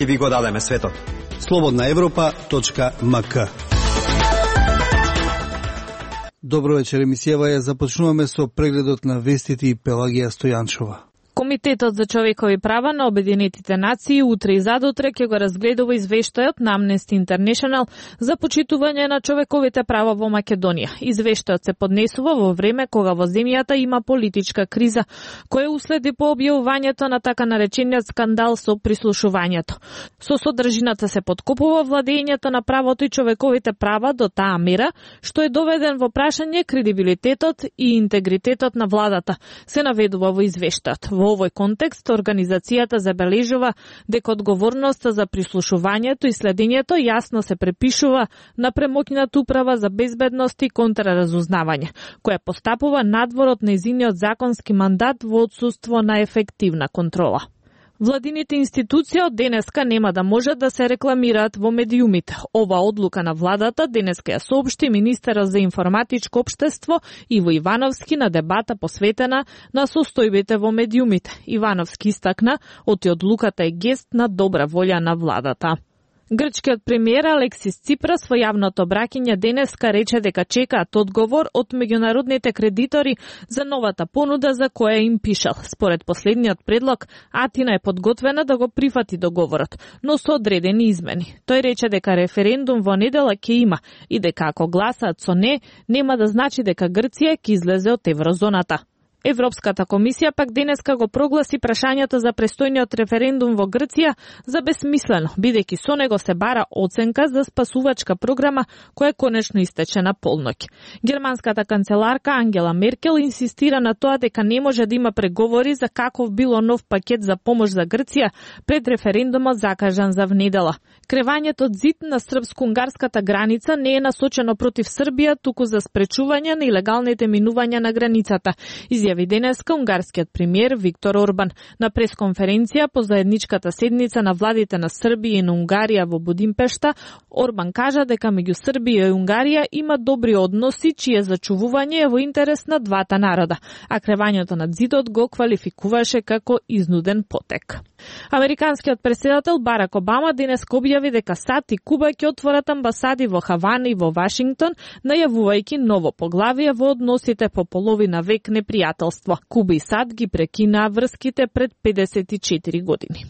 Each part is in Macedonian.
И ви го дадеме светот. Slobodnaevropa.mk. Добро вечер, емисијава ја започнуваме со прегледот на вестите и Пелагија Стојанчова. Комитетот за човекови права на Обединетите нации утре и задутре ќе го разгледува извештајот на Amnesty International за почитување на човековите права во Македонија. Извештајот се поднесува во време кога во земјата има политичка криза, која уследи по објавувањето на така наречениот скандал со прислушувањето. Со содржината се подкопува владењето на правото и човековите права до таа мера, што е доведен во прашање кредибилитетот и интегритетот на владата, се наведува во извештајот. Во овој контекст, организацијата забележува дека одговорноста за прислушувањето и следењето јасно се препишува на премоќната управа за безбедност и контраразузнавање, која постапува надвор од нејзиниот законски мандат во отсуство на ефективна контрола. Владините институции од денеска нема да можат да се рекламираат во медиумите. Ова одлука на владата денеска ја соопшти министерот за информатичко општество Иво Ивановски на дебата посветена на состојбите во медиумите. Ивановски истакна, оти одлуката е гест на добра волја на владата. Грчкиот премиер Алексис Ципрас во јавното обраќање денеска рече дека чекаат одговор од меѓународните кредитори за новата понуда за која им пишал. Според последниот предлог, Атина е подготвена да го прифати договорот, но со одредени измени. Тој рече дека референдум во недела ќе има и дека ако гласаат со не, нема да значи дека Грција ќе излезе од еврозоната. Европската комисија пак денеска го прогласи прашањето за престојниот референдум во Грција за бесмислено, бидејќи со него се бара оценка за спасувачка програма која конечно истече на полноќ. Германската канцеларка Ангела Меркел инсистира на тоа дека не може да има преговори за каков било нов пакет за помош за Грција пред референдумот закажан за внедела. Кревањето од зид на српско-унгарската граница не е насочено против Србија, туку за спречување на илегалните минувања на границата, изјави денеска унгарскиот премиер Виктор Орбан на пресконференција по заедничката седница на владите на Србија и на Унгарија во Будимпешта. Орбан кажа дека меѓу Србија и Унгарија има добри односи, чие зачувување е во интерес на двата народа, а кревањето над зидот го квалификуваше како изнуден потек. Американскиот претседател Барак Обама денес објави дека САД и Куба ќе отворат амбасади во Хавана и во Вашингтон, најавувајќи ново поглавие во односите по половина век непријателство. Куба и САД ги прекинаа врските пред 54 години.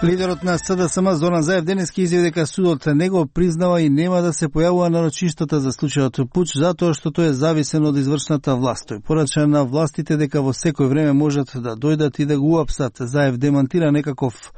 Лидерот на СДСМ Зоран Заев денески изјави дека судот не го признава и нема да се појавува на рочиштата за случајот пуч затоа што тој е зависен од извршната власт. Тој порача на властите дека во секој време можат да дојдат и да го уапсат. Заев демантира некаков